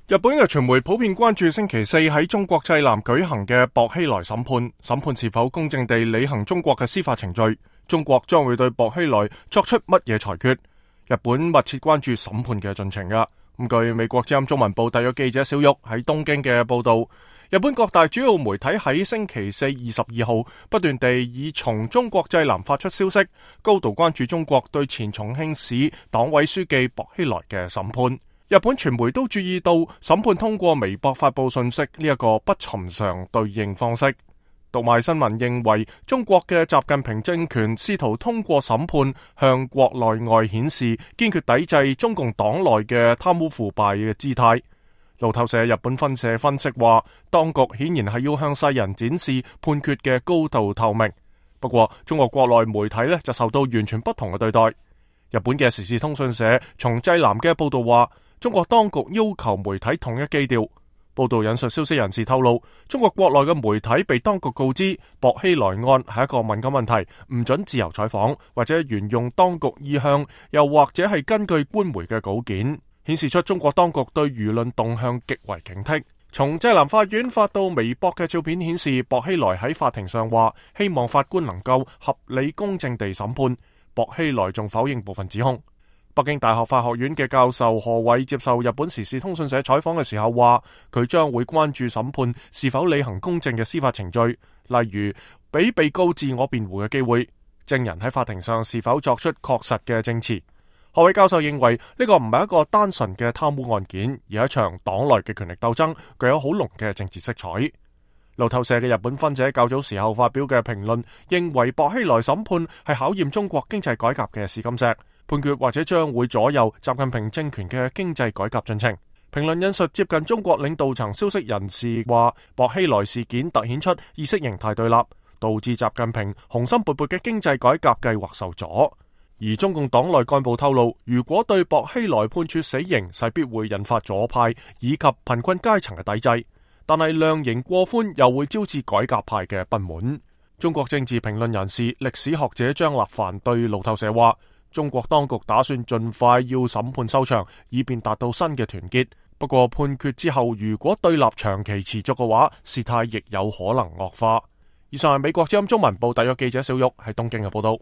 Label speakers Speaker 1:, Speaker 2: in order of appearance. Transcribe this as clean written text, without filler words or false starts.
Speaker 1: 日本嘅傳媒普遍關注星期四喺中國濟南舉行嘅薄熙來審判，審判是否公正地履行中國嘅司法程序，中國將會對薄熙來作出乜嘢裁決？日本密切關注審判嘅進程噶。據美國之音中文部特約記者小玉喺東京嘅報道，日本各大主要媒體喺星期四22號不斷地以從中國濟南發出消息，高度關注中國對前重慶市黨委書記薄熙來嘅審判。日本傳媒都注意到審判通過微博發佈信息呢一個不尋常對應方式。讀賣新聞認為，中國嘅習近平政權試圖通過審判向國內外顯示堅決抵制中共黨內嘅貪污腐敗嘅姿態。路透社日本分社分析話，當局顯然係要向世人展示判決嘅高度透明。不過，中國國內媒體就受到完全不同嘅對待。日本嘅時事通訊社從濟南嘅報道話，中國當局要求媒體統一基調。報道引述消息人士透露，中國國內嘅媒體被當局告知薄熙來案係一個敏感問題，唔准自由採訪，或者沿用當局意向，又或者係根據官媒嘅稿件，顯示出中國當局對輿論動向極為警惕。從濟南法院發到微博嘅照片顯示，薄熙來喺法庭上話，希望法官能夠合理公正地審判。薄熙來仲否認部分指控。北京大學法學院嘅教授何偉接受日本時事通訊社採訪嘅時候話，佢將會關注審判是否履行公正嘅司法程序，例如俾被告自我辯護嘅機會，證人喺法庭上是否作出確實嘅證詞。何偉教授認為呢個唔係一個單純嘅貪污案件，而係一場黨內嘅權力鬥爭，具有好濃嘅政治色彩。路透社嘅日本分社較早時候發表嘅評論認為，薄熙來審判係考驗中國經濟改革嘅試金石，判決或者將會左右習近平政權嘅經濟改革進程。評論引述接近中國領導層消息人士話，薄熙來事件凸顯出意識形態對立，導致習近平雄心勃勃嘅經濟改革計劃受阻。而中共黨內幹部透露，如果對薄熙來判處死刑，勢必會引發左派以及貧困階層嘅抵制，但係量刑過寬又會招致改革派嘅不滿。中國政治評論人士、歷史學者張立凡對路透社話，中國當局打算盡快要審判收場，以便達到新嘅團結。不過判決之後，如果對立長期持續嘅話，事態亦有可能惡化。以上係美國之音中文部特約記者小玉喺東京嘅報道。